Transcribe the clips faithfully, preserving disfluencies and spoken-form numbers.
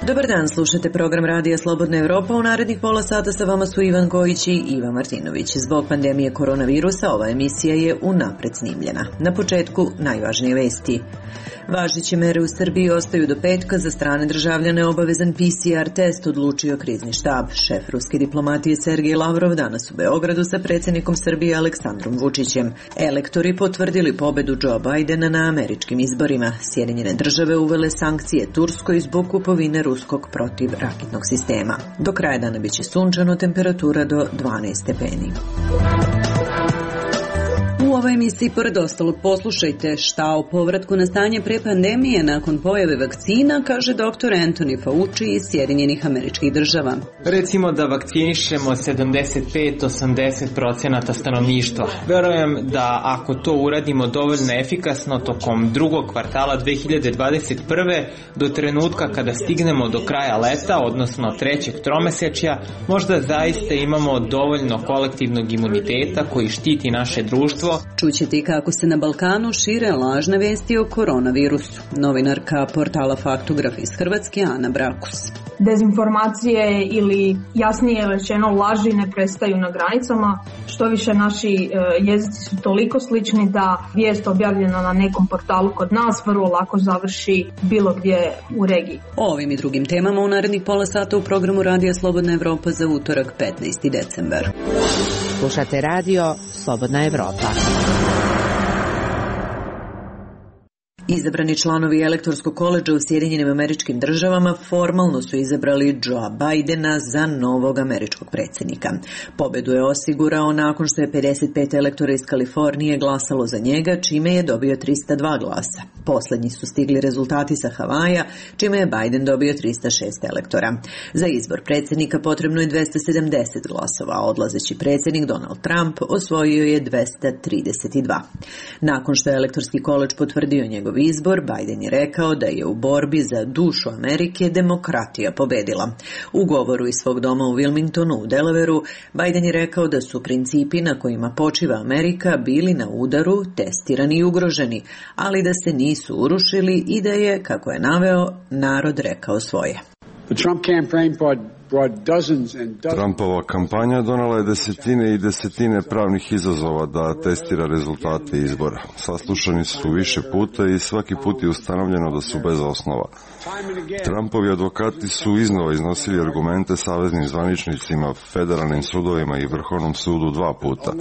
Dobar dan, slušate program Radija Slobodna Evropa. U narednih pola sata sa vama su Ivan Kojić i Iva Martinović. Zbog pandemije koronavirusa ova emisija je unapred snimljena. Na početku najvažnije vesti. Važeće mere u Srbiji ostaju do petka, za strane državljane obavezan P C R test, odlučio krizni štab. Šef ruske diplomatije Sergej Lavrov danas u Beogradu sa predsjednikom Srbije Aleksandrom Vučićem. Elektori potvrdili pobedu Joe Bidena na američkim izborima. Sjedinjene države uvele sankcije Turskoj zbog kupovine ruskog protivraketnog sistema. Do kraja dana biće sunčano, temperatura do dvanaest stepeni. U ovoj emisiji, pored ostalog, poslušajte šta o povratku na stanje pre pandemije nakon pojave vakcina, kaže doktor Anthony Fauci iz Sjedinjenih Američkih Država. Recimo da vakcinišemo sedamdeset pet do osamdeset procenata stanovništva. Verujem da ako to uradimo dovoljno efikasno tokom drugog kvartala dve hiljade dvadeset prve do trenutka kada stignemo do kraja leta, odnosno trećeg tromesečja, možda zaista imamo dovoljno kolektivnog imuniteta koji štiti naše društvo. Čućete i kako se na Balkanu šire lažne vesti o koronavirusu. Novinarka portala Faktograf iz Hrvatske Ana Brakus. Dezinformacije ili jasnije rečeno laži ne prestaju na granicama. Što više naši jezici su toliko slični da vijest objavljena na nekom portalu kod nas vrlo lako završi bilo gdje u regiji. O ovim i drugim temama u narednih pola sata u programu Radija Slobodna Evropa za utorak petnaesti decembar. Slušate radio Slobodna Evropa. Izabrani članovi elektorskog koledža u Sjedinjenim Američkim Državama formalno su izabrali Joea Bidena za novog američkog predsjednika. Pobedu je osigurao nakon što je pedeset pet elektora iz Kalifornije glasalo za njega, čime je dobio trista dva glasa. Poslednji su stigli rezultati sa Havaja, čime je Biden dobio trista šest elektora. Za izbor predsjednika potrebno je dvesta sedamdeset glasova, a odlazeći predsjednik Donald Trump osvojio je dvesta trideset dva. Nakon što je elektorski koledž potvrdio njegov izbor, Biden je rekao da je u borbi za dušu Amerike demokratija pobedila. U govoru iz svog doma u Wilmingtonu u Delawareu, Biden je rekao da su principi na kojima počiva Amerika bili na udaru, testirani i ugroženi, ali da se nisu urušili i da je, kako je naveo, narod rekao svoje. The Trump campaign Trumpova kampanja donala je desetine i desetine pravnih izazova da testira rezultate izbora. Saslušani su više puta i svaki put je ustanovljeno da su bez osnova. Trumpovi advokati su iznova iznosili argumente saveznim zvaničnicima, federalnim sudovima i Vrhovnom sudu dva puta.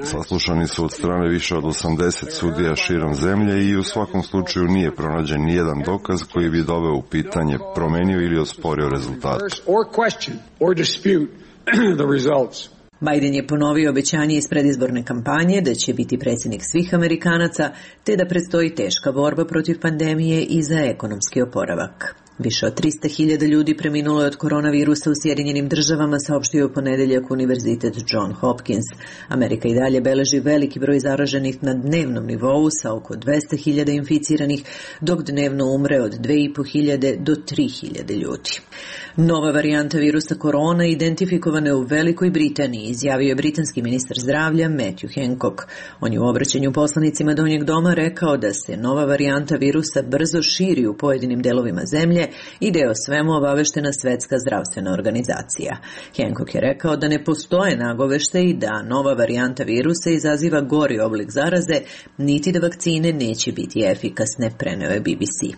Saslušani su od strane više od osamdeset sudija širom zemlje i u svakom slučaju nije pronađen nijedan dokaz koji bi doveo u pitanje, promenio ili osporio rezultate. question or dispute the results. Biden je ponovio obećanje iz predizborne kampanje da će biti predsjednik svih Amerikanaca, te da predstoji teška borba protiv pandemije i za ekonomski oporavak. Više od trista hiljada ljudi preminulo je od koronavirusa u Sjedinjenim Državama, saopštio je u ponedeljak Univerzitet John Hopkins. Amerika i dalje beleži veliki broj zaraženih na dnevnom nivou sa oko dvesta hiljada inficiranih, dok dnevno umre od dve i po hiljade do tri hiljade ljudi. Nova varijanta virusa korona identifikovana je u Velikoj Britaniji, izjavio je britanski ministar zdravlja Matthew Hancock. On je u obraćanju poslanicima Donjeg doma rekao da se nova varijanta virusa brzo širi u pojedinim delovima zemlje i da je o svemu obaveštena Svetska zdravstvena organizacija. Hancock je rekao da ne postoje nagoveštaji da nova varijanta virusa izaziva gori oblik zaraze, niti da vakcine neće biti efikasne, preneo je B B C.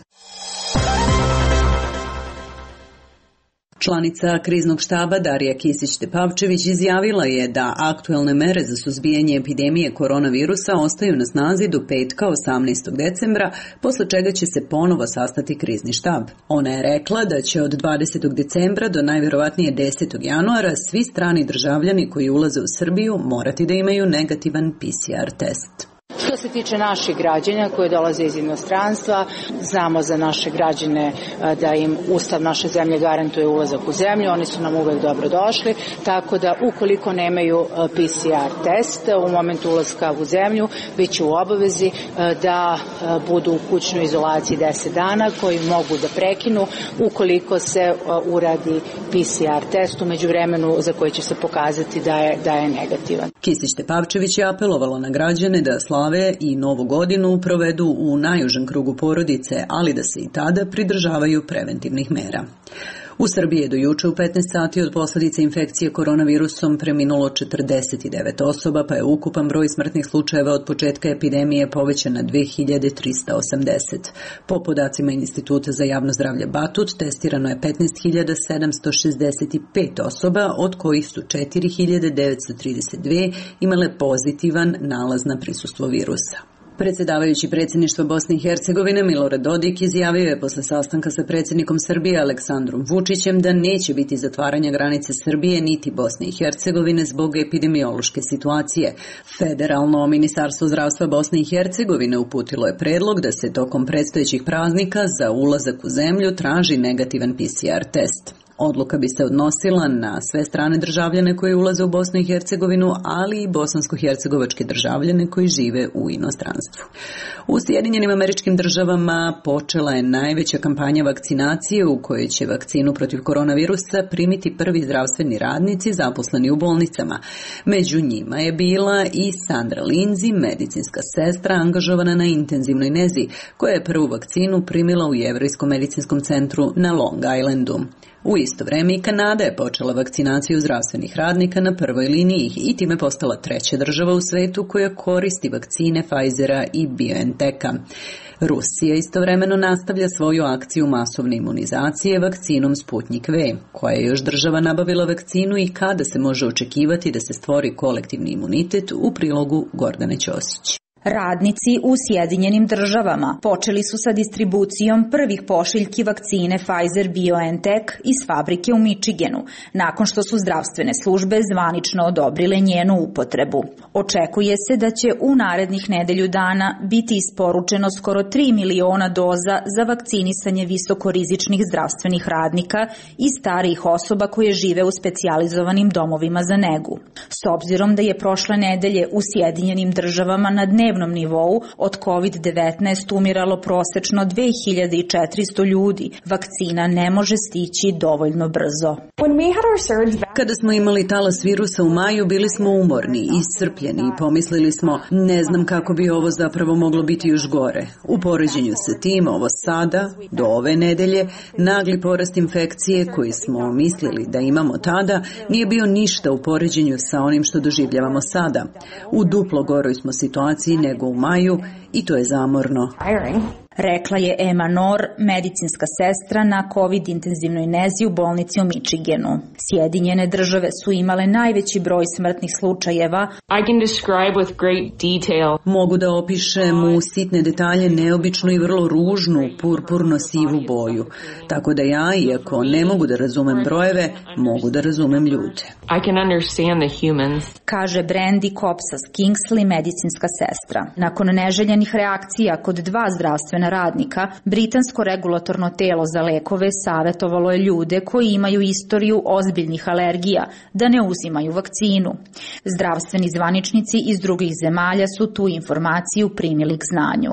Članica kriznog štaba Darija Kisić-Tepavčević izjavila je da aktuelne mere za suzbijanje epidemije koronavirusa ostaju na snazi do petka osamnaestog decembra, posle čega će se ponovo sastati krizni štab. Ona je rekla da će od dvadesetog decembra do najvjerovatnije desetog januara svi strani državljani koji ulaze u Srbiju morati da imaju negativan P C R test. Što se tiče naših građana koji dolaze iz inostranstva, znamo za naše građane da im Ustav naše zemlje garantuje ulazak u zemlju, oni su nam uvek dobro došli, tako da ukoliko nemaju P C R test u momentu ulaska u zemlju, bit će u obavezi da budu u kućnoj izolaciji deset dana koji mogu da prekinu ukoliko se uradi P C R test u međuvremenu za koji će se pokazati da je, da je negativan. Kisić Tepavčević je apelovalo na građane da slave i Novu godinu provedu u najužem krugu porodice, ali da se i tada pridržavaju preventivnih mera. U Srbiji je do juče u petnaest sati od posljedice infekcije koronavirusom preminulo četrdeset devet osoba, pa je ukupan broj smrtnih slučajeva od početka epidemije povećan na dve hiljade trista osamdeset. Po podacima Instituta za javno zdravlje Batut, testirano je petnaest hiljada sedamsto šezdeset pet osoba, od kojih su četiri hiljade devetsto trideset dve imale pozitivan nalaz na prisustvo virusa. Predsjedavajući predsjedništva Bosne i Hercegovine Milorad Dodik izjavio je posle sastanka sa predsjednikom Srbije Aleksandrom Vučićem da neće biti zatvaranja granice Srbije niti Bosne i Hercegovine zbog epidemiološke situacije. Federalno ministarstvo zdravstva Bosne i Hercegovine uputilo je predlog da se tokom predstojećih praznika za ulazak u zemlju traži negativan P C R test. Odluka bi se odnosila na sve strane državljane koji ulaze u Bosnu i Hercegovinu, ali i bosansko-hercegovačke državljane koji žive u inostranstvu. U Sjedinjenim Američkim Državama počela je najveća kampanja vakcinacije u kojoj će vakcinu protiv koronavirusa primiti prvi zdravstveni radnici zaposleni u bolnicama. Među njima je bila i Sandra Lindsay, medicinska sestra angažovana na intenzivnoj nezi, koja je prvu vakcinu primila u Jevrejskom medicinskom centru na Long Islandu. U isto vreme i Kanada je počela vakcinaciju zdravstvenih radnika na prvoj liniji i time postala treća država u svetu koja koristi vakcine Pfizera i BioNTecha. Rusija istovremeno nastavlja svoju akciju masovne imunizacije vakcinom Sputnik V, koja je još država nabavila vakcinu i kada se može očekivati da se stvori kolektivni imunitet, u prilogu Gordane Ćosić. Radnici u Sjedinjenim Državama počeli su sa distribucijom prvih pošiljki vakcine Pfizer-BioNTech iz fabrike u Michiganu, nakon što su zdravstvene službe zvanično odobrile njenu upotrebu. Očekuje se da će u narednih nedelju dana biti isporučeno skoro tri miliona doza za vakcinisanje visokorizičnih zdravstvenih radnika i starijih osoba koje žive u specijalizovanim domovima za negu. S obzirom da je prošle nedelje u Sjedinjenim Državama na dnevnom nivou od kovid devetnaest umiralo prosečno dve hiljade četiristo ljudi, vakcina ne može stići dovoljno brzo. Kada smo imali talas virusa u maju, bili smo umorni, iscrpljeni i pomislili smo, ne znam kako bi ovo zapravo moglo biti još gore. U poređenju sa tim, ovo sada, do ove nedelje, nagli porast infekcije koji smo mislili da imamo tada, nije bio ništa u poređenju sa onim što doživljavamo sada. U duplo goroj smo situaciji nego u maju i to je zamorno. Rekla je Emma Nor, medicinska sestra na COVID intenzivnoj nezi u bolnici u Michiganu. Sjedinjene Države su imale najveći broj smrtnih slučajeva. I can describe with great detail. Mogu da opišem u sitne detalje neobičnu i vrlo ružnu purpurno-sivu boju. Tako da ja, iako ne mogu da razumem brojeve, mogu da razumem ljude. I can understand the humans. Kaže Brandy Kopsas Kingsley, medicinska sestra. Nakon neželjenih reakcija kod dva zdravstvena radnika, britansko regulatorno telo za lekove savjetovalo je ljude koji imaju istoriju ozbiljnih alergija da ne uzimaju vakcinu. Zdravstveni zvaničnici iz drugih zemalja su tu informaciju primili k znanju.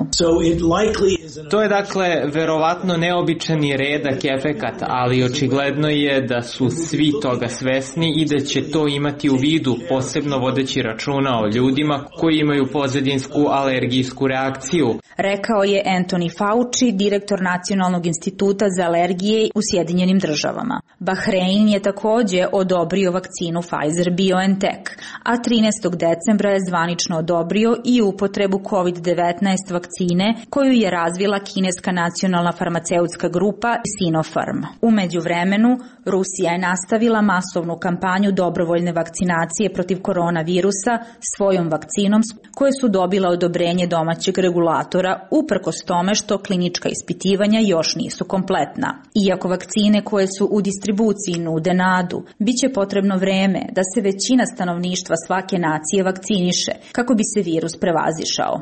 To je dakle verovatno neobičan i redak efekat, ali očigledno je da su svi toga svesni i da će to imati u vidu, posebno vodeći računa o ljudima koji imaju pozadinsku alergijsku reakciju. Rekao je Anthony Fauci, direktor Nacionalnog instituta za alergije u Sjedinjenim Državama. Bahrein je također odobrio vakcinu Pfizer-BioNTech, a trinaestog decembra je zvanično odobrio i upotrebu COVID devetnaest vakcine koju je razvila kineska nacionalna farmaceutska grupa Sinopharm. U međuvremenu, Rusija je nastavila masovnu kampanju dobrovoljne vakcinacije protiv koronavirusa svojom vakcinom koje su dobila odobrenje domaćeg regulatora, uprkos tome je što klinička ispitivanja još nisu kompletna. Iako vakcine koje su u distribuciji nude nadu, bit će potrebno vreme da se većina stanovništva svake nacije vakciniše kako bi se virus prevazišao.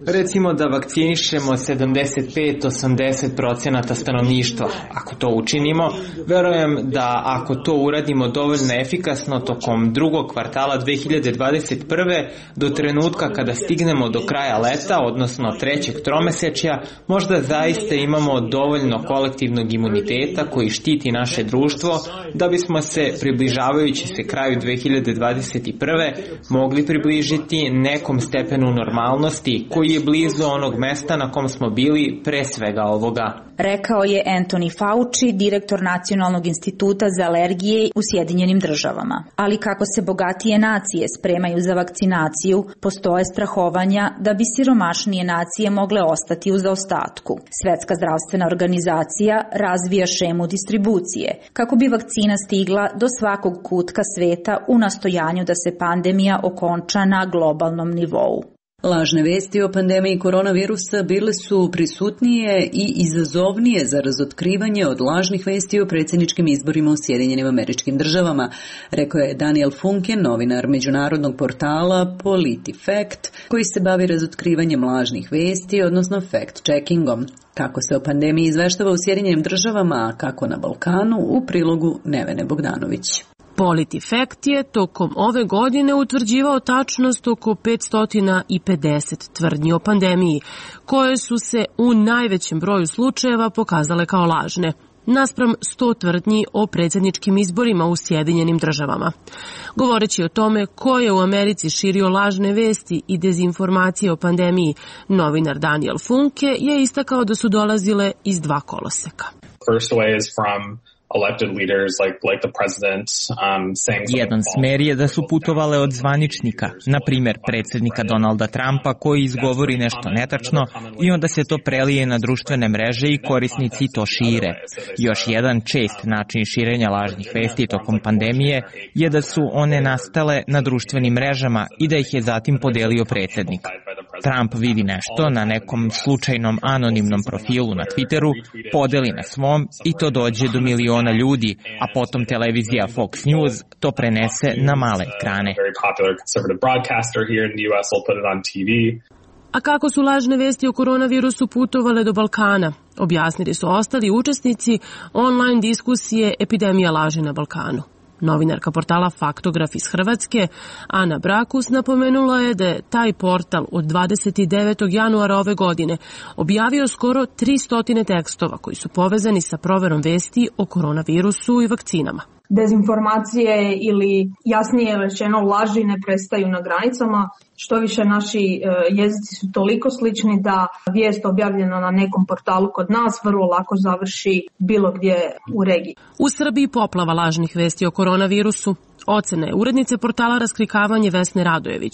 Recimo da vakcinišemo sedamdeset pet do osamdeset procenata stanovništva. Ako to učinimo, verujem da ako to uradimo dovoljno efikasno tokom drugog kvartala dve hiljade dvadeset prve do trenutka kada stignemo do kraja leta, odnosno trećeg tromesečja, možda zaista imamo dovoljno kolektivnog imuniteta koji štiti naše društvo da bismo se, približavajući se kraju dve hiljade dvadeset prve, mogli približiti nekom stepenu normalnosti koji je blizu onog mesta na kom smo bili pre svega ovoga. Rekao je Anthony Fauci, direktor Nacionalnog instituta za alergije u Sjedinjenim državama. Ali kako se bogatije nacije spremaju za vakcinaciju, postoje strahovanja da bi siromašnije nacije mogle ostati u zaostatku. Svetska zdravstvena organizacija razvija šemu distribucije kako bi vakcina stigla do svakog kutka sveta u nastojanju da se pandemija okonča na globalnom nivou. Lažne vesti o pandemiji koronavirusa bile su prisutnije i izazovnije za razotkrivanje od lažnih vesti o predsjedničkim izborima u Sjedinjenim Američkim Državama, rekao je Daniel Funke, novinar međunarodnog portala PolitiFact, koji se bavi razotkrivanjem lažnih vesti, odnosno fact-checkingom. Kako se o pandemiji izveštava u Sjedinjenim Državama, a kako na Balkanu, u prilogu Nevene Bogdanović. PolitiFact je tokom ove godine utvrđivao tačnost oko petsto pedeset tvrdnji o pandemiji, koje su se u najvećem broju slučajeva pokazale kao lažne, naspram sto tvrdnji o predsjedničkim izborima u Sjedinjenim Državama. Govoreći o tome ko je u Americi širio lažne vesti i dezinformacije o pandemiji, novinar Daniel Funke je istakao da su dolazile iz dva koloseka. First way is from elected leaders like like the president um saying Jedan smer je da su putovale od zvaničnika, na primjer predsjednika Donalda Trumpa koji izgovori nešto netačno i onda se to prelije na društvene mreže i korisnici to šire. Još jedan čest način širenja lažnih vesti tokom pandemije je da su one nastale na društvenim mrežama i da ih je zatim podelio predsjednik. Trump vidi nešto na nekom slučajnom anonimnom profilu na Twitteru, podeli na svom i to dođe do miliona ljudi, a potom televizija Fox News to prenese na male ekrane. A kako su lažne vesti o koronavirusu putovale do Balkana? Objasnili su ostali učesnici online diskusije Epidemija laži na Balkanu. Novinarka portala Faktograf iz Hrvatske, Ana Brakus, napomenula je da je taj portal od dvadeset devetog januara ove godine objavio skoro tristo tekstova koji su povezani sa proverom vesti o koronavirusu i vakcinama. Dezinformacije ili jasnije rečeno laži ne prestaju na granicama. Što više naši jezici su toliko slični da vijest objavljena na nekom portalu kod nas vrlo lako završi bilo gdje u regiji. U Srbiji poplava lažnih vesti o koronavirusu. Ocena je urednice portala Raskrikavanje Vesne Radojević.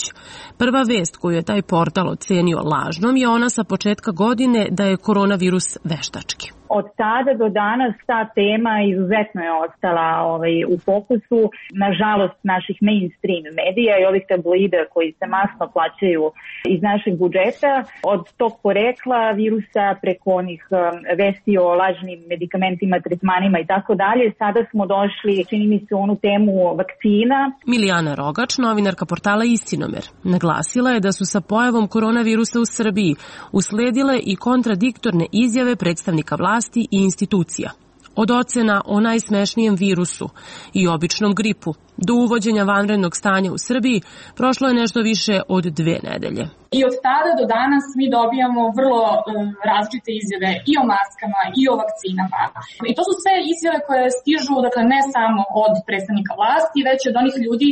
Prva vest koju je taj portal ocenio lažnom je ona sa početka godine da je koronavirus veštački. Od tada do danas ta tema izuzetno je ostala ovaj, u fokusu. Nažalost, naših mainstream medija i ovih tabloida koji se masno plaćaju iz našeg budžeta. Od tog porekla virusa preko onih um, vesti o lažnim medikamentima, tretmanima i tako dalje, sada smo došli, čini mi se, onu temu vakcina. Milijana Rogač, novinarka portala Istinomer, naglasila je da su sa pojavom koronavirusa u Srbiji usledile i kontradiktorne izjave predstavnika vlasti i institucija. Od ocena o najsmešnijem virusu i običnom gripu do uvođenja vanrednog stanja u Srbiji prošlo je nešto više od dve nedelje. I od tada do danas mi dobijamo vrlo um, različite izjave i o maskama i o vakcinama. I to su sve izjave koje stižu, dakle, ne samo od predstavnika vlasti, već od onih ljudi,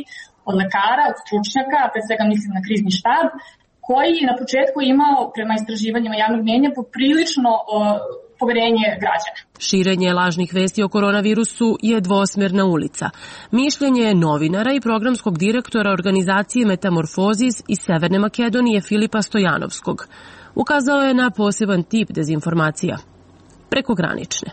od lekara, od stručnjaka, pre svega mislim na krizni štab, koji je na početku imao, prema istraživanjima javnog mnjenja, poprilično uh, poverenje građana. Širenje lažnih vesti o koronavirusu je dvosmerna ulica. Mišljenje novinara i programskog direktora organizacije Metamorfozis iz Severne Makedonije Filipa Stojanovskog ukazao je na poseban tip dezinformacija, prekogranične.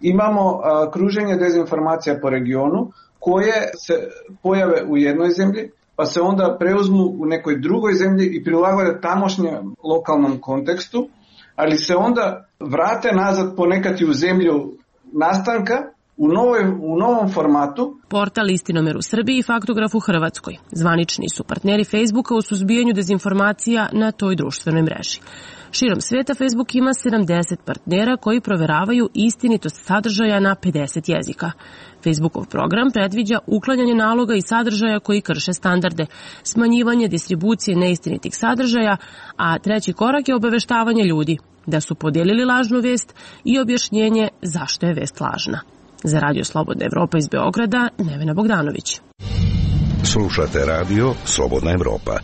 Imamo a, kruženje dezinformacija po regionu koje se pojave u jednoj zemlji, pa se onda preuzmu u nekoj drugoj zemlji i prilagode tamošnjem lokalnom kontekstu, ali se onda vrate nazad ponekad i u zemlju nastanka u, novoj, u novom formatu. Portal Istinomer u Srbiji i Faktograf u Hrvatskoj zvanični su partneri Facebooka u suzbijanju dezinformacija na toj društvenoj mreži. Širom sveta Facebook ima sedamdeset partnera koji proveravaju istinitost sadržaja na pedeset jezika. Facebookov program predviđa uklanjanje naloga i sadržaja koji krše standarde, smanjivanje distribucije neistinitih sadržaja, a treći korak je obaveštavanje ljudi da su podijelili lažnu vest i objašnjenje zašto je vest lažna. Za Radio Slobodna Evropa iz Beograda, Nevena Bogdanović. Slušate radio Slobodna Evropa.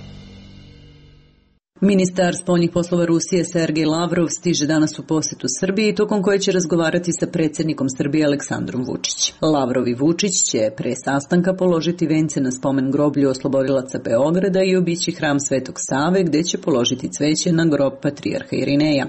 Ministar spoljnih poslova Rusije Sergej Lavrov stiže danas u posetu Srbiji, tokom koje će razgovarati sa predsjednikom Srbije Aleksandrom Vučić. Lavrov i Vučić će pre sastanka položiti vence na spomen groblju oslobodilaca Beograda i obići hram Svetog Save, gde će položiti cveće na grob patrijarha Irineja.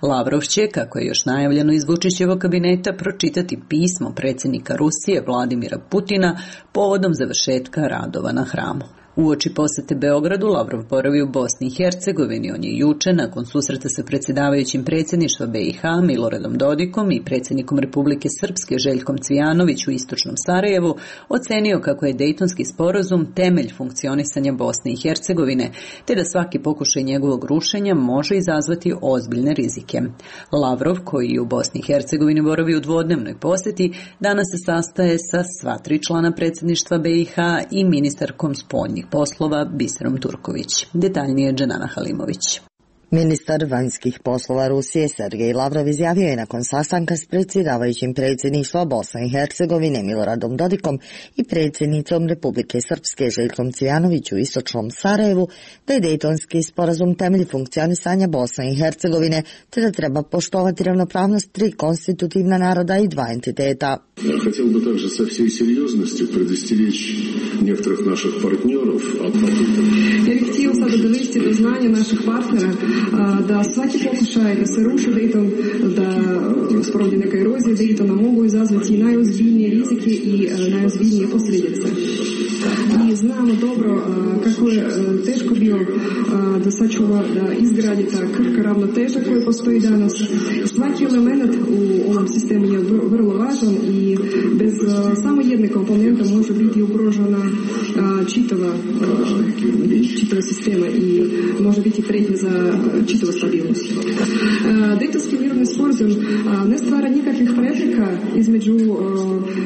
Lavrov će, kako je još najavljeno iz Vučićevog kabineta, pročitati pismo predsjednika Rusije Vladimira Putina povodom završetka radova na hramu. Uoči posete Beogradu, Lavrov boravi u Bosni i Hercegovini. On je juče, nakon susreta sa predsjedavajućim predsjedništva B i H Miloradom Dodikom i predsjednikom Republike Srpske Željkom Cvijanović u istočnom Sarajevu, ocenio kako je Dejtonski sporazum temelj funkcionisanja Bosne i Hercegovine, te da svaki pokušaj njegovog rušenja može izazvati ozbiljne rizike. Lavrov, koji u Bosni i Hercegovini boravi u dvodnevnoj posjeti, danas se sastaje sa sva tri člana predsjedništva B i H i ministarkom spoljnih poslova Biserom Turković. Detaljnije Dženana Halimović. Ministar vanjskih poslova Rusije Sergej Lavrov izjavio je nakon sastanka s predsjedavajućim predsjedništva Bosne i Hercegovine Miloradom Dodikom i predsjednicom Republike Srpske Željkom Cvijanović u istočnom Sarajevu da je Dejtonski sporazum temelj funkcionisanja Bosne i Hercegovine te da treba poštovati ravnopravnost tri konstitutivna naroda i dva entiteta. Хотел бы также со всей серьезностью предостеречь некоторых наших партнеров от попыток. Я bih htio sada dovesti do znanja naših partnera da svaki pokušaj da se ruši Dejton, da sprovodi neka erozija Dejtona mogu izazvati najozbiljnije rizike i najozbiljnije posljedice. Mi znamo dobro kako je teško bilo da sačuva, da izgradi ta krhka ravnoteža koja postoji danas. Svaki element u ovom sistemu je vrlo važan i bez samo jedne komponente može biti ugrožena čitava, čitava sistema i može biti prijetnja za čitavu stabilnost. Dejtonski mirovni sporazum ne stvara nikakvih prepreka između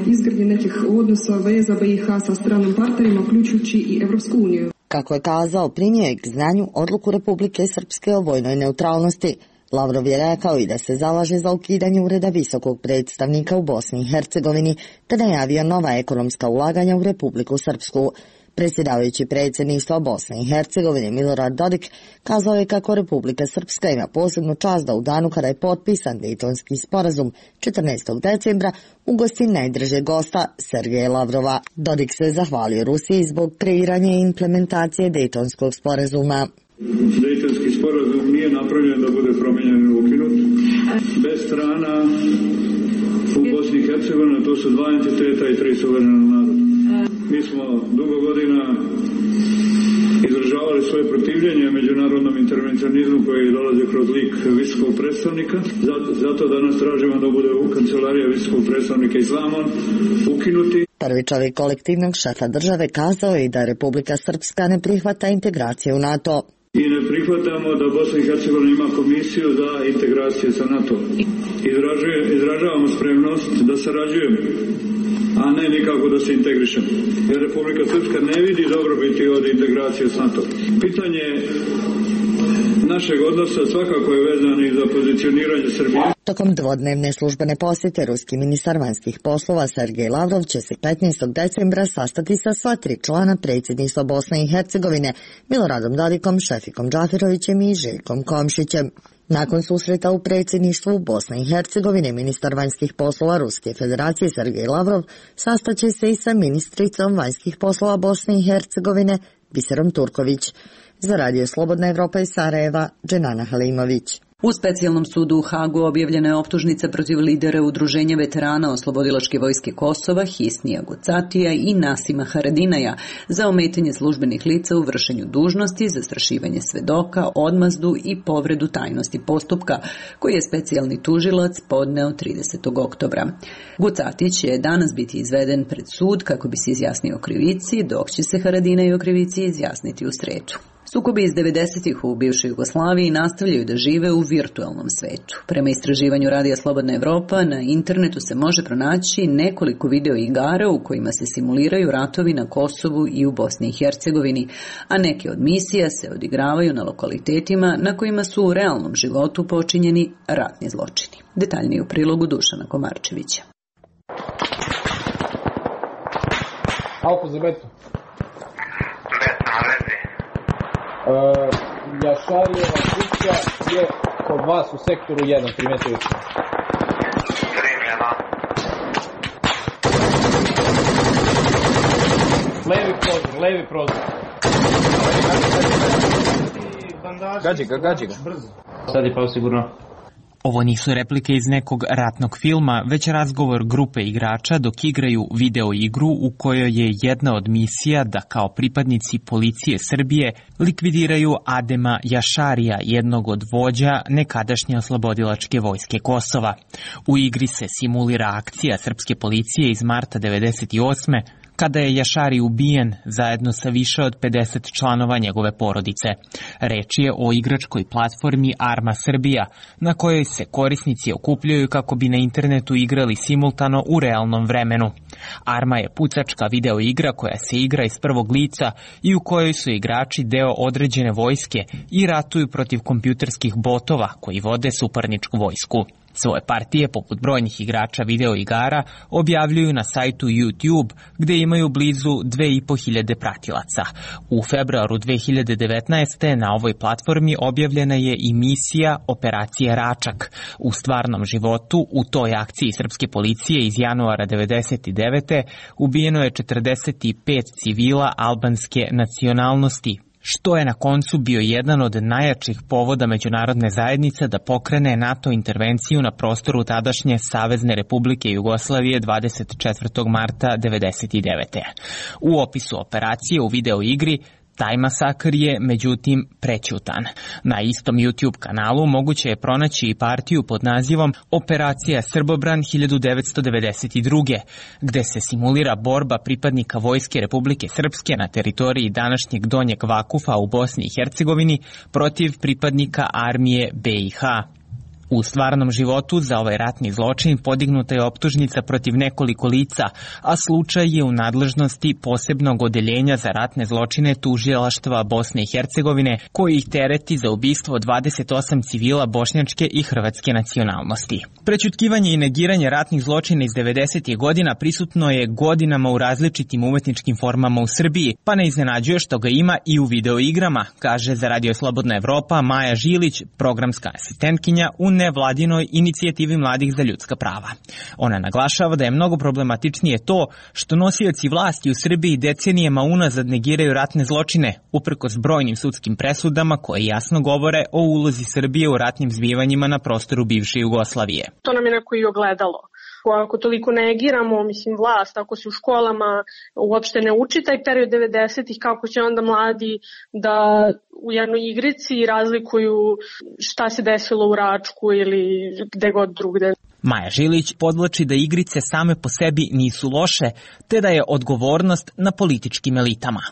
izgradnje nekih odnosa veza B i H sa stranim partnerima, uključujući i Evropsku uniju. Kako je kazao, primio je k znanju odluku Republike Srpske o vojnoj neutralnosti. Lavrov je rekao i da se zalaže za ukidanje ureda visokog predstavnika u Bosni i Hercegovini, te najavio nova ekonomska ulaganja u Republiku Srpsku. Predsjedavajući predsjedništva Bosne i Hercegovine Milorad Dodik kazao je kako Republika Srpska ima posebnu čast da u danu kada je potpisan Dejtonski sporazum četrnaestog decembra ugosti najdržeg gosta Sergeja Lavrova. Dodik se zahvalio Rusiji zbog kreiranja i implementacije Dejtonskog sporazuma. Dejtonski sporazum nije napravljen da bude promijenjen i ukinut. Bez strana u Bosni i Hercegovini to su dva entiteta i tri suverena naroda. Mi smo dugo godina izražavali svoje protivljenje međunarodnom intervencionizmu koji dolazi kroz lik visokog predstavnika. Zato danas tražimo da bude u kancelarija visokog predstavnika Islamon ukinuti. Prvi čovjek kolektivnog šefa države kazao je da Republika Srpska ne prihvata integraciju u NATO. I ne prihvatamo da Bosna i Hercegovina ima komisiju za integraciju sa NATO. Izražuje, izražavamo spremnost da sarađujemo, a ne nikako da se integrišemo. Jer Republika Srpska ne vidi dobrobiti od integracije s NATO. Pitanje našeg odnosa svakako je vezano i za pozicioniranje Srbije. Tokom dvodnevne službene posjete ruski ministar vanjskih poslova Sergej Lavrov će se petnaestog decembra sastati sa sva tri člana predsjedništva Bosne i Hercegovine Miloradom Dodikom, Šefikom Džafirovićem i Željkom Komšićem. Nakon susreta u predsjedništvu Bosne i Hercegovine, ministar vanjskih poslova Ruske federacije Sergej Lavrov sastaće se i sa ministricom vanjskih poslova Bosne i Hercegovine Biserom Turković. Za Radio Slobodna Evropa iz Sarajeva, Dženana Halimović. U specijalnom sudu u Hagu objavljena je optužnica protiv lidera Udruženja veterana Oslobodilačke vojske Kosova, Hisnija Gucatija i Nasima Haradinaja za ometanje službenih lica u vršenju dužnosti, zastrašivanje svedoka, odmazdu i povredu tajnosti postupka, koji je specijalni tužilac podneo tridesetog oktobra. Gucatić će danas biti izveden pred sud kako bi se izjasnio o krivici, dok će se Haradinaj o krivici izjasniti u sredu. Sukobi iz devedesetih u bivšoj Jugoslaviji nastavljaju da žive u virtualnom svetu. Prema istraživanju Radija Slobodna Evropa, na internetu se može pronaći nekoliko video igara u kojima se simuliraju ratovi na Kosovu i u Bosni i Hercegovini, a neke od misija se odigravaju na lokalitetima na kojima su u realnom životu počinjeni ratni zločini. Detaljnije u prilogu Dušana Komarčevića. Alfa za betu. Uh, Jašarijeva kuća je kod vas u sektoru jedan, primetili ste. Primljeno. Levi prozor, levi prozor. Gađi ga, gađi ga. Sad je pao sigurno. Ovo nisu replike iz nekog ratnog filma, već razgovor grupe igrača dok igraju video igru u kojoj je jedna od misija da kao pripadnici policije Srbije likvidiraju Adema Jašarija, jednog od vođa nekadašnje oslobodilačke vojske Kosova. U igri se simulira akcija srpske policije iz marta devedeset osme kada je Jašari ubijen zajedno sa više od pedeset članova njegove porodice. Reč je o igračkoj platformi Arma Srbija, na kojoj se korisnici okupljaju kako bi na internetu igrali simultano u realnom vremenu. Arma je pucačka video igra koja se igra iz prvog lica i u kojoj su igrači deo određene vojske i ratuju protiv kompjuterskih botova koji vode suparničku vojsku. Svoje partije, poput brojnih igrača video igara, objavljuju na sajtu YouTube, gde imaju blizu dve i po hiljade pratilaca. U februaru dve hiljade devetnaeste. na ovoj platformi objavljena je i misija Operacije Račak. U stvarnom životu, u toj akciji srpske policije iz januara devedeset devete. ubijeno je četrdeset pet civila albanske nacionalnosti, što je na koncu bio jedan od najjačih povoda međunarodne zajednice da pokrene NATO intervenciju na prostoru tadašnje Savezne Republike Jugoslavije dvadeset četvrtog marta devedeset devete. U opisu operacije u video igri taj masakr je, međutim, prećutan. Na istom YouTube kanalu moguće je pronaći i partiju pod nazivom Operacija Srbobran hiljadu devetsto devedeset druge. gde se simulira borba pripadnika Vojske Republike Srpske na teritoriji današnjeg Donjeg Vakufa u Bosni i Hercegovini protiv pripadnika armije be i ha. U stvarnom životu za ovaj ratni zločin podignuta je optužnica protiv nekoliko lica, a slučaj je u nadležnosti posebnog odeljenja za ratne zločine tužilaštva Bosne i Hercegovine, koji ih tereti za ubistvo dvadeset osam civila bošnjačke i hrvatske nacionalnosti. Prećutkivanje i negiranje ratnih zločina iz devedesetih godina prisutno je godinama u različitim umetničkim formama u Srbiji, pa ne iznenađuje što ga ima i u video igrama, kaže za Radio Slobodna Evropa Maja Žilić, programska asistentkinja u nevladinoj inicijativi mladih za ljudska prava. Ona naglašava da je mnogo problematičnije to što nosioci vlasti u Srbiji decenijama unazad negiraju ratne zločine, uprkos brojnim sudskim presudama koje jasno govore o ulozi Srbije u ratnim zbivanjima na prostoru bivše Jugoslavije. To nam je neko i ogledalo. Ako toliko negiramo, mislim, vlast, ako se u školama uopšte ne uči taj period devedesetih, kako će onda mladi da u jednoj igrici razlikuju šta se desilo u Račku ili gde god drugde. Maja Žilić podvlači da igrice same po sebi nisu loše, te da je odgovornost na političkim elitama.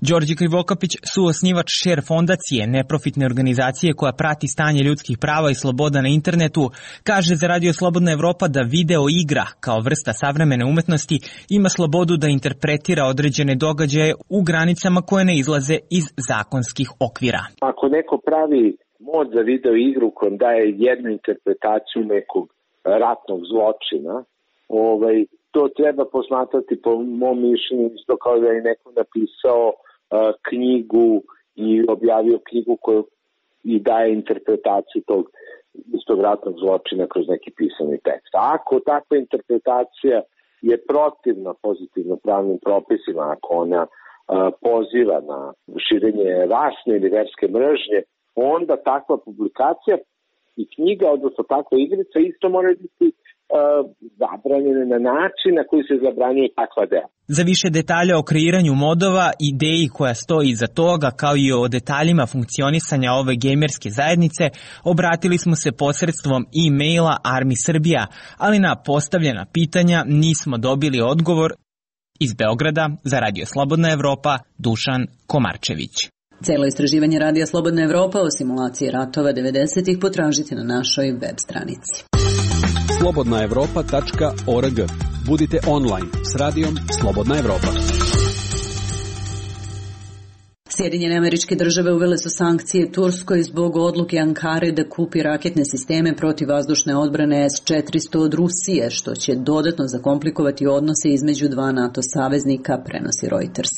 Đorđe Krivokapić, suosnivač Share fondacije, neprofitne organizacije koja prati stanje ljudskih prava i sloboda na internetu, kaže za Radio Slobodna Evropa da video igra, kao vrsta savremene umetnosti, ima slobodu da interpretira određene događaje u granicama koje ne izlaze iz zakonskih okvira. Ako neko pravi mod za video igru kojom daje jednu interpretaciju nekog ratnog zločina, ovaj, to treba posmatrati po mom mišljenju isto kao da je neko napisao knjigu i objavio knjigu koju i daje interpretaciju tog istog ratnog zločina kroz neki pisani tekst. A ako takva interpretacija je protivna pozitivno pravnim propisima, ako ona a, poziva na širenje rasne ili verske mržnje, onda takva publikacija i knjiga, odnosno takva igrica, isto mora biti uh, zabranjene na način na koji se zabranjuje takva dela. Za više detalja o kreiranju modova, ideji koja stoji iza toga, kao i o detaljima funkcionisanja ove gejmerske zajednice, obratili smo se posredstvom e-maila Armi Srbija, ali na postavljena pitanja nismo dobili odgovor. Iz Beograda za Radio Slobodna Evropa, Dušan Komarčević. Celo istraživanje Radija Slobodna Evropa o simulaciji ratova devedesetih potražite na našoj web stranici. slobodna evropa tačka org. Budite online s radijom Slobodna Evropa. Sjedinjene Američke Države uvele su sankcije Turskoj zbog odluke Ankare da kupi raketne sisteme protivvazdušne odbrane S četiristo od Rusije, što će dodatno zakomplikovati odnose između dva NATO saveznika, prenosi Reuters.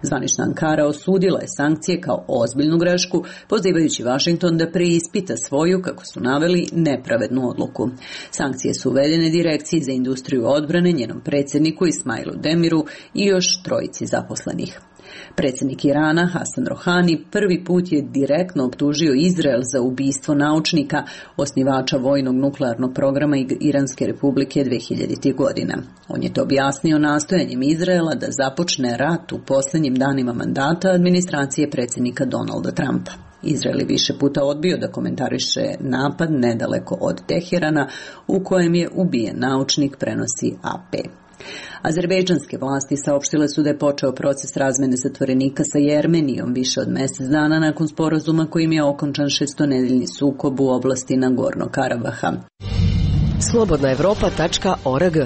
Zvanična Ankara osudila je sankcije kao ozbiljnu grešku, pozivajući Vašington da preispita svoju, kako su naveli, nepravednu odluku. Sankcije su uvedene Direkciji za industriju odbrane, njenom predsjedniku Ismailu Demiru i još trojici zaposlenih. Predsjednik Irana, Hasan Rohani, prvi put je direktno optužio Izrael za ubistvo naučnika, osnivača vojnog nuklearnog programa Iranske republike dve hiljaditih godina. On je to objasnio nastojanjem Izraela da započne rat u posljednjim danima mandata administracije predsjednika Donalda Trumpa. Izrael je više puta odbio da komentariše napad nedaleko od Teherana u kojem je ubijen naučnik, prenosi A P. Azerbejdžanske vlasti saopštile su da je počeo proces razmene zatvorenika sa Jermenijom više od mjesec dana nakon sporazuma kojim je okončan šestonedeljni sukob u oblasti Nagornog Karabaha. slobodna evropa tačka org.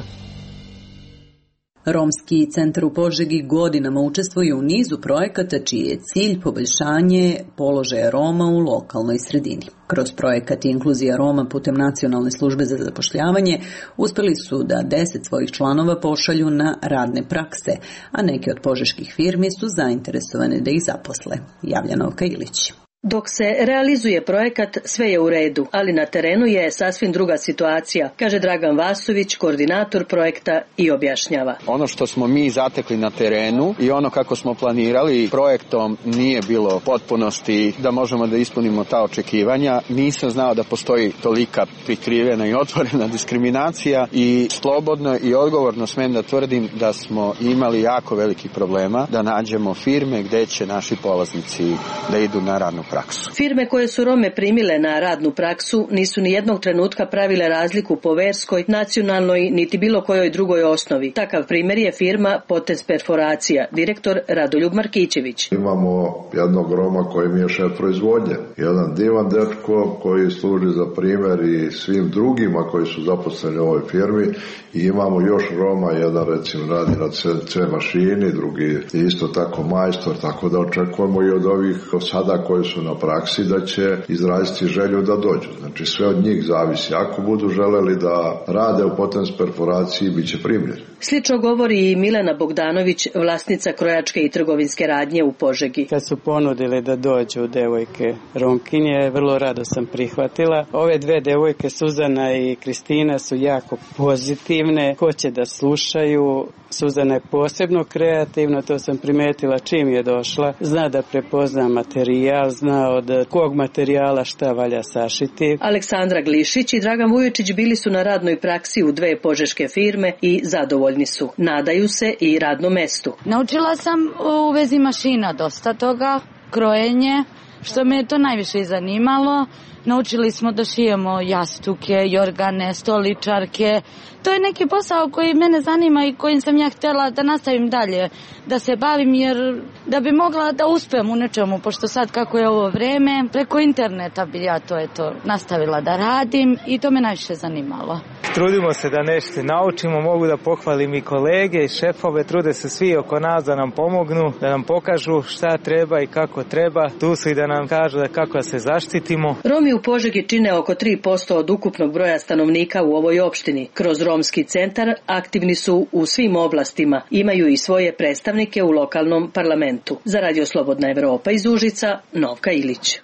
Romski centar u Požegi godinama učestvuje u nizu projekata čiji je cilj poboljšanje položaja Roma u lokalnoj sredini. Kroz projekat Inkluzija Roma putem Nacionalne službe za zapošljavanje uspjeli su da deset svojih članova pošalju na radne prakse, a neke od požeških firmi su zainteresovane da ih zaposle. Javlja Novka Ilić. Dok se realizuje projekat, sve je u redu, ali na terenu je sasvim druga situacija, kaže Dragan Vasović, koordinator projekta, i objašnjava. Ono što smo mi zatekli na terenu i ono kako smo planirali projektom nije bilo potpunosti da možemo da ispunimo ta očekivanja. Nisam znao da postoji tolika prikrivena i otvorena diskriminacija i slobodno i odgovorno smem da tvrdim da smo imali jako velikih problema da nađemo firme gde će naši polaznici da idu na radnu praksu. Firme koje su Rome primile na radnu praksu nisu ni jednog trenutka pravile razliku po verskoj, nacionalnoj niti bilo kojoj drugoj osnovi. Takav primjer je firma Potens Perforacija, direktor Radoljub Markićević. Imamo jednog Roma koji mi je šef proizvodnje, jedan divan dečko koji služi za primjer i svim drugima koji su zaposleni u ovoj firmi, i imamo još Roma, jedan recimo radi na C mašini, drugi isto tako majstor, tako da očekujemo i od ovih sada koji su na praksi da će izraziti želju da dođu. Znači sve od njih zavisi. Ako budu želeli da rade u Potens Perforaciji, bit će primljeni. Slično govori i Milena Bogdanović, vlasnica krojačke i trgovinske radnje u Požegi. Kad su ponudili da dođu devojke Romkinje, vrlo rado sam prihvatila. Ove dve devojke, Suzana i Kristina, su jako pozitivne, hoće da slušaju. Suzana je posebno kreativna, to sam primetila čim je došla. Zna da prepozna materijal, zna od kog materijala šta valja sašiti. Aleksandra Glišić i Dragan Vujočić bili su na radnoj praksi u dve požeške firme i zadovoljni su. Nadaju se i radnom mestu. Naučila sam u vezi mašina dosta toga, krojenje, što me je to najviše i zanimalo. Naučili smo da šijemo jastuke, jorgane, stoličarke. To je neki posao koji mene zanima i kojim sam ja htjela da nastavim dalje, da se bavim, jer da bi mogla da uspem u nečemu, pošto sad kako je ovo vreme, preko interneta bi ja to eto nastavila da radim i to me najviše zanimalo. Trudimo se da nešto naučimo, mogu da pohvalim i kolege i šefove, trude se svi oko nas da nam pomognu, da nam pokažu šta treba i kako treba, tu su i da nam kažu da kako da se zaštitimo. Romi u Požegi čine oko tri posto od ukupnog broja stanovnika u ovoj opštini. Kroz Romski centar aktivni su u svim oblastima, imaju i svoje predstavnike u lokalnom parlamentu. Za Radio Slobodna Evropa iz Užica, Novka Ilić.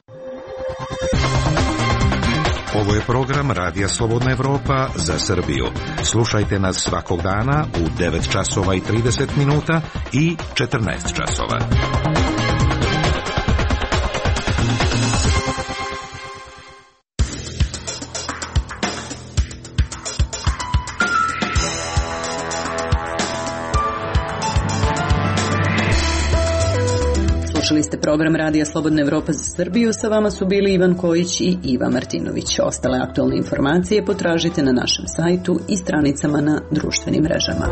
Ovo je program Radija Slobodna Evropa za Srbiju. Slušajte nas svakog dana u devet časova i trideset minuta i četrnaest časova. Slušali ste program Radija Slobodna Evropa za Srbiju, sa vama su bili Ivan Kojić i Iva Martinović. Ostale aktualne informacije potražite na našem sajtu i stranicama na društvenim mrežama.